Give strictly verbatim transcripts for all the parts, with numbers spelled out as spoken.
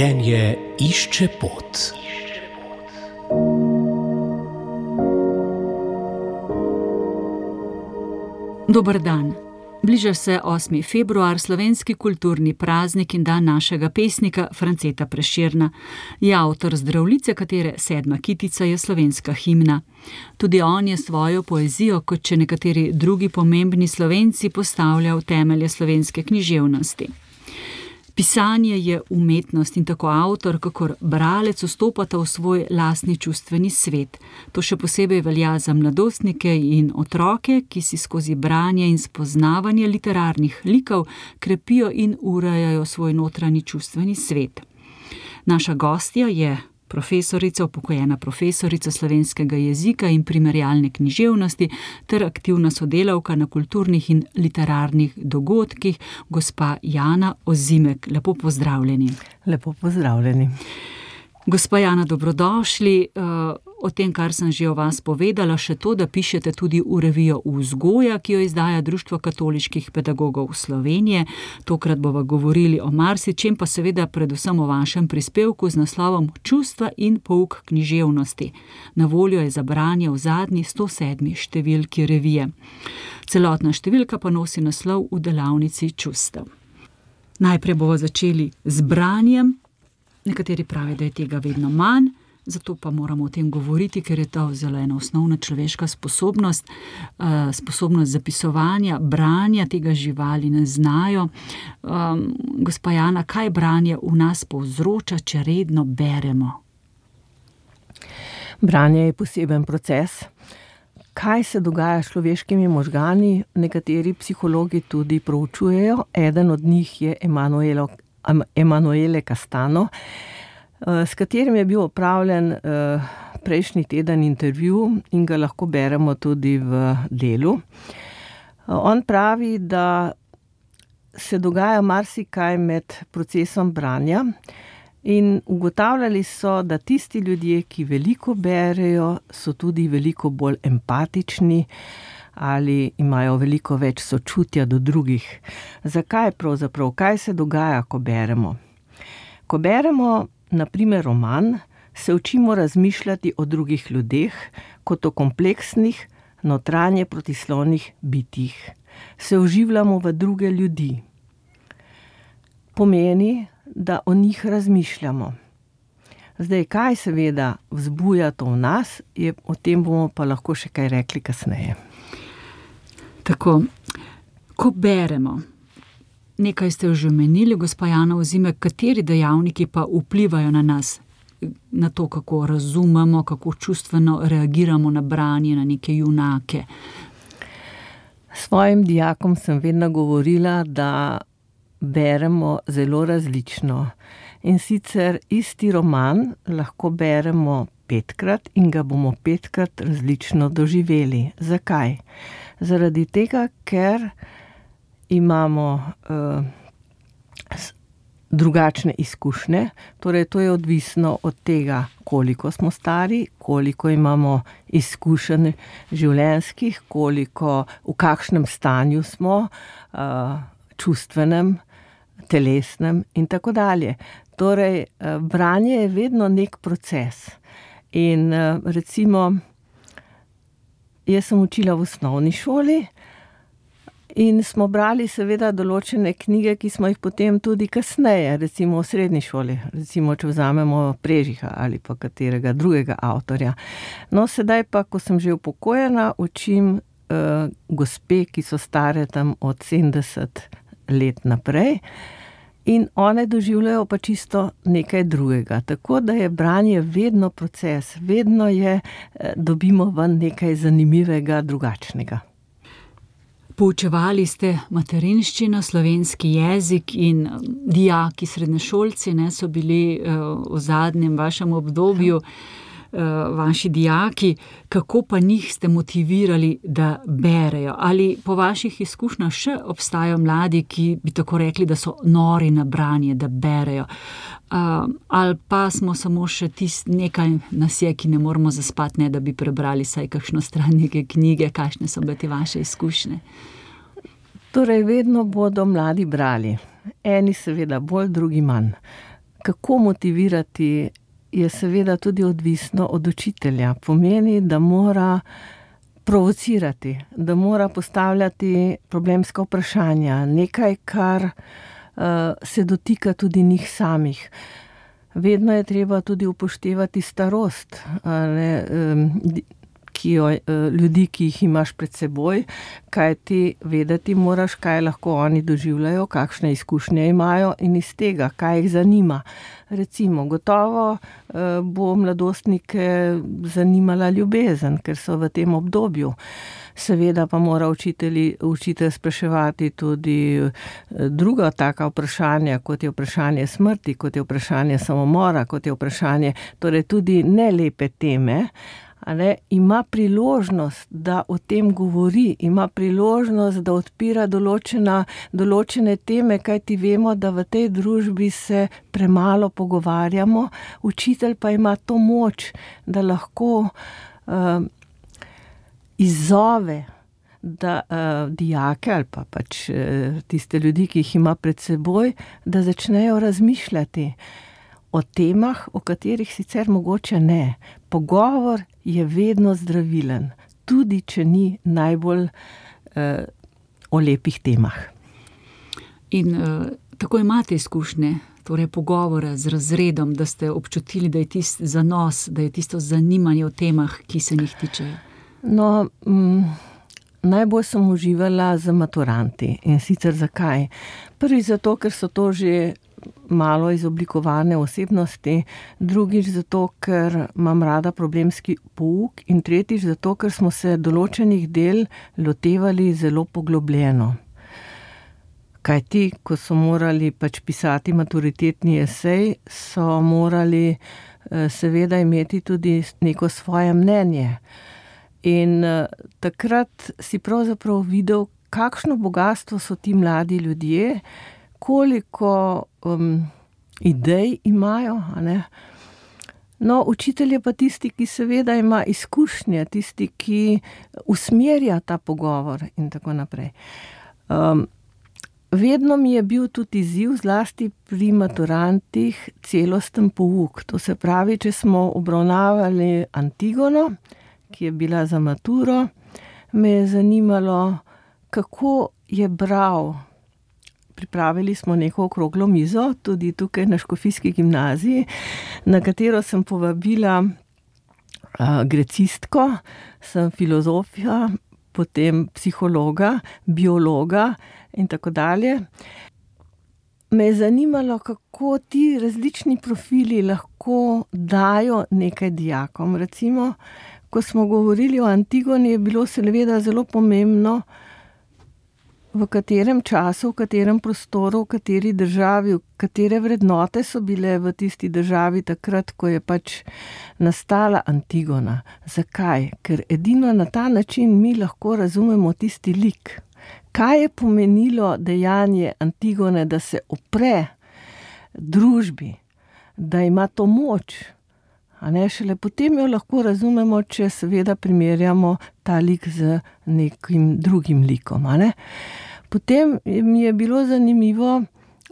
Življenje išče pot. Dober dan. Bliža se osmi februar, slovenski kulturni praznik in dan našega pesnika Franceta Prešerna. Je avtor Zdravljice, katere sedma kitica je slovenska himna. Tudi on je svojo poezijo, kot če nekateri drugi pomembni Slovenci, postavljal temelje slovenske književnosti. Pisanje je umetnost in tako avtor, kakor bralec vstopata v svoj lastni čustveni svet. To še posebej velja za mladostnike in otroke, ki si skozi branje in spoznavanje literarnih likov krepijo in urejajo svoj notranji čustveni svet. Naša gostja je profesorica, upokojena profesorica slovenskega jezika in primerjalne književnosti ter aktivna sodelavka na kulturnih in literarnih dogodkih, gospa Jana Ozimek. Lepo pozdravljeni. Lepo pozdravljeni. Gospa Jana, dobrodošli. O tem, kar sem že o vas povedala, še to, da pišete tudi v revijo Vzgoja, ki jo izdaja Društvo katoliških pedagogov Slovenije. Tokrat bova govorili o marsičem, pa seveda predvsem o vašem prispevku z naslovom Čustva in pouk književnosti. Na voljo je za branje v zadnji sto sedmi številki revije. Celotna številka pa nosi naslov V delavnici čustev. Najprej bova začeli z branjem. Nekateri pravijo, da je tega vedno manj, zato pa moramo o tem govoriti, ker je to zelo ena osnovna človeška sposobnost, sposobnost zapisovanja, branja, tega živali ne znajo. Um, gospa Jana, kaj branje v nas povzroča, če redno beremo? Branje je poseben proces. Kaj se dogaja s človeškimi možgani, nekateri psihologi tudi proučujejo. Eden od njih je Emanuelo Emanuele Castano, s katerim je bil opravljen prejšnji teden intervju in ga lahko beremo tudi v Delu. On pravi, da se dogaja marsikaj med procesom branja in ugotavljali so, da tisti ljudje, ki veliko berejo, so tudi veliko bolj empatični ali imajo veliko več sočutja do drugih. Zakaj pravzaprav? Kaj se dogaja, ko beremo? Ko beremo, na primer, roman, se učimo razmišljati o drugih ljudeh kot o kompleksnih, notranje protislovnih bitjih. Se vživljamo v druge ljudi. Pomeni, da o njih razmišljamo. Zdaj, kaj seveda vzbuja to v nas, je, o tem bomo pa lahko še kaj rekli kasneje. Tako, ko beremo, nekaj ste že omenili, gospa Jana Ozimek, kateri dejavniki pa vplivajo na nas, na to, kako razumemo, kako čustveno reagiramo na branje, na neke junake? Svojim dijakom sem vedno govorila, da beremo zelo različno. In sicer isti roman lahko beremo petkrat in ga bomo petkrat različno doživeli. Zakaj? Zaradi tega, ker imamo uh, drugačne izkušnje, torej to je odvisno od tega, koliko smo stari, koliko imamo izkušenj življenjskih, koliko, v kakšnem stanju smo, uh, čustvenem, telesnem in tako dalje. Torej, uh, branje je vedno nek proces. In uh, recimo, jaz sem učila v osnovni šoli in smo brali seveda določene knjige, ki smo jih potem tudi kasneje, recimo v srednji šoli, recimo če vzamemo Prežiha ali pa katerega drugega avtorja. No, sedaj pa, ko sem že upokojena, učim uh, gospe, ki so stare tam od sedemdeset let naprej in one doživljajo pa čisto nekaj drugega. Tako da je branje vedno proces, vedno je, dobimo ven nekaj zanimivega, drugačnega. Poučevali ste materinščino, slovenski jezik in dijaki, srednješolci, ne, so bili uh, v zadnjem vašem obdobju uh, vaši dijaki. Kako pa njih ste motivirali, da berejo? Ali po vaših izkušnjah še obstajajo mladi, ki bi tako rekli, da so nori na branje, da berejo? Uh, ali pa smo samo še tisti nekaj nas je, ki ne moramo zaspati, ne da bi prebrali saj kakšno stran neke knjige? Kakšne so bile te vaše izkušnje? Torej, vedno bodo mladi brali. Eni seveda bolj, drugi manj. Kako motivirati, je seveda tudi odvisno od učitelja. Pomeni, da mora provocirati, da mora postavljati problemska vprašanja, nekaj, kar uh, se dotika tudi njih samih. Vedno je treba tudi upoštevati starost, ne, um, ki jo, ljudi, ki jih imaš pred seboj, kaj ti vedeti moraš, kaj lahko oni doživljajo, kakšne izkušnje imajo in iz tega, kaj jih zanima. Recimo, gotovo bo mladostnike zanimala ljubezen, ker so v tem obdobju. Seveda pa mora učitelj, učitelj spraševati tudi druga taka vprašanja, kot je vprašanje smrti, kot je vprašanje samomora, kot je vprašanje, torej tudi nelepe teme. Ale, ima priložnost, da o tem govori, ima priložnost, da odpira določena, določene teme, kajti vemo, da v tej družbi se premalo pogovarjamo. Učitelj pa ima to moč, da lahko uh, izzove da, uh, dijake ali pa pač uh, tiste ljudi, ki jih ima pred seboj, da začnejo razmišljati o temah, o katerih sicer mogoče ne. Pogovor je vedno zdravilen, tudi če ni najbolj uh, o lepih temah. In uh, tako imate izkušnje, torej pogovora z razredom, da ste občutili, da je tisto zanos, da je tisto zanimanje o temah, ki se njih tičejo? No, m, najbolj sem uživala z maturanti. In sicer zakaj? Prvi zato, ker so to že malo izoblikovane osebnosti, drugič zato, ker imam rada problemski pouk in tretjič zato, ker smo se določenih del lotevali zelo poglobljeno. Kaj ti, ko so morali pač pisati maturitetni esej, so morali eh, seveda imeti tudi neko svoje mnenje. In eh, takrat si pravzaprav videl, kakšno bogastvo so ti mladi ljudje, koliko um, idej imajo, a ne? No, učitelj je pa tisti, ki seveda ima izkušnje, tisti, ki usmerja ta pogovor in tako naprej. Um, vedno mi je bil tudi izziv, zlasti pri maturantih, celosten pouk. To se pravi, če smo obravnavali Antigono, ki je bila za maturo, me je zanimalo, kako je bral. Pripravili smo neko okroglo mizo, tudi tukaj na Škofijski gimnaziji, na katero sem povabila uh, grecistko, sem filozofija, potem psihologa, biologa in tako dalje. Me je zanimalo, kako ti različni profili lahko dajo nekaj dijakom. Recimo, ko smo govorili o Antigoni, je bilo seveda zelo pomembno, v katerem času, v katerem prostoru, v kateri državi, katere vrednote so bile v tisti državi takrat, ko je pač nastala Antigona. Zakaj? Ker edino na ta način mi lahko razumemo tisti lik. Kaj je pomenilo dejanje Antigone, da se opre družbi, da ima to moč? A ne, šele potem jo lahko razumemo, če seveda primerjamo ta lik z nekim drugim likom, a ne. Potem mi je bilo zanimivo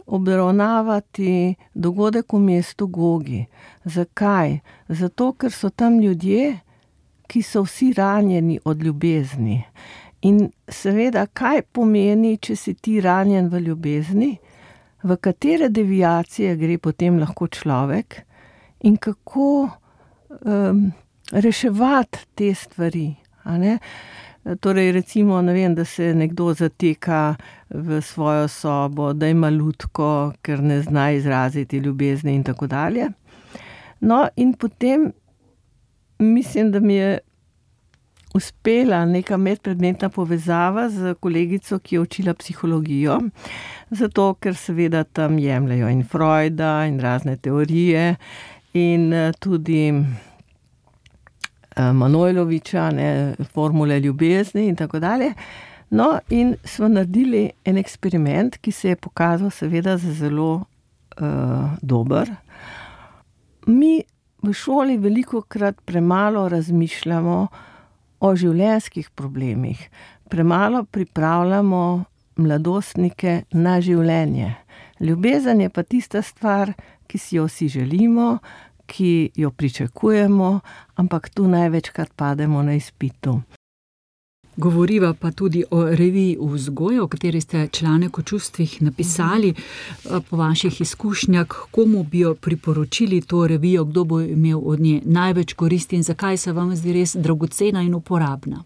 obravnavati dogodek v mestu Gogi. Zakaj? Zato, ker so tam ljudje, ki so vsi ranjeni od ljubezni. In seveda, kaj pomeni, če si ti ranjen v ljubezni, v katere deviacije gre potem lahko človek in kako um, reševati te stvari, a ne? Torej, recimo, ne vem, da se nekdo zateka v svojo sobo, da ima lutko, ker ne zna izraziti ljubezni in tako dalje. No, in potem mislim, da mi je uspela neka medpredmetna povezava z kolegico, ki je učila psihologijo, zato ker seveda tam jemljajo in Freuda in razne teorije in tudi Manojloviča, ne, formule ljubezni in tako dalje. No, in smo naredili en eksperiment, ki se je pokazal seveda za zelo uh, dober. Mi v šoli velikokrat premalo razmišljamo o življenjskih problemih. Premalo pripravljamo mladostnike na življenje. Ljubezen je pa tista stvar, ki si jo vsi želimo, ki jo pričakujemo, ampak tu največkrat pademo na izpitu. Govoriva pa tudi o reviji Vzgoja, o kateri ste članek o čustvih napisali. Po vaših izkušnjah, komu bi jo priporočili to revijo, kdo bo imel od nje največ koristi in zakaj se vam zdi res dragocena in uporabna?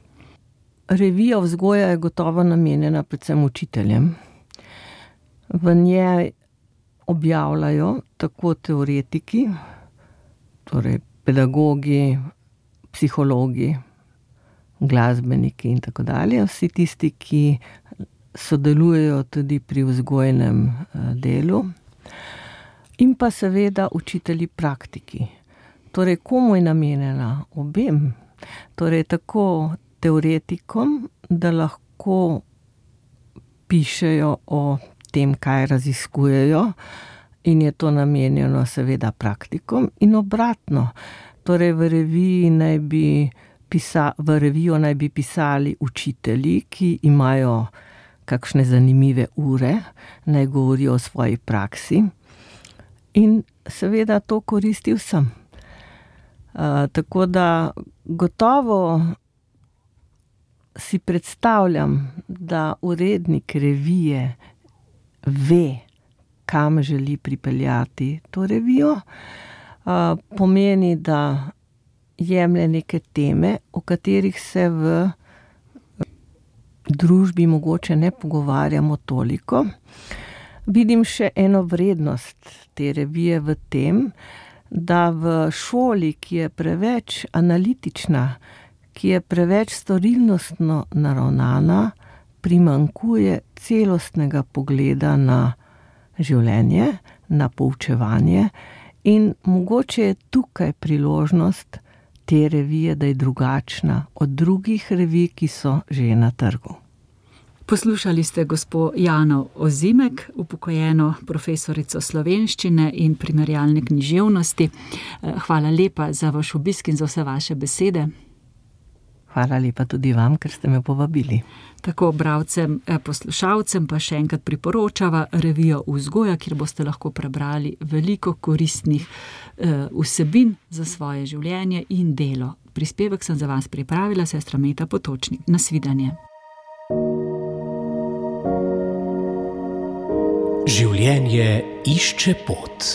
Revija Vzgoja je gotovo namenjena predvsem učiteljem. V njej objavljajo tako teoretiki, torej pedagogi, psihologi, glasbeniki in tako dalje, vsi tisti, ki sodelujejo tudi pri vzgojnem delu, in pa seveda učitelji praktiki. Torej, komu je namenjena? Obem. Torej, tako teoretikom, da lahko pišejo o tem, kaj raziskujejo, in je to namenjeno seveda praktikom, in obratno. Torej, v reviji naj bi pisa, v revijo naj bi pisali učitelji, ki imajo kakšne zanimive ure, naj govorijo o svoji praksi, in seveda to koristi vsem. Uh, tako da gotovo si predstavljam, da urednik revije ve, kam želi pripeljati to revijo. Uh, pomeni, da jemlje neke teme, o katerih se v družbi mogoče ne pogovarjamo toliko. Vidim še eno vrednost te revije v tem, da v šoli, ki je preveč analitična, ki je preveč storilnostno naravnana, primanjkuje celostnega pogleda na življenje, na poučevanje, in mogoče je tukaj priložnost te revije, da je drugačna od drugih revij, ki so že na trgu. Poslušali ste gospo Jano Ozimek, upokojeno profesorico slovenščine in primerjalne književnosti. Hvala lepa za vaš obisk in za vse vaše besede. Hvala lepa tudi vam, ker ste me povabili. Tako bralcem, poslušalcem pa še enkrat priporočava revijo Vzgoja, kjer boste lahko prebrali veliko koristnih eh, vsebin za svoje življenje in delo. Prispevek sem za vas pripravila sestra Meta Potočnik. Nasvidenje. Življenje išče pot.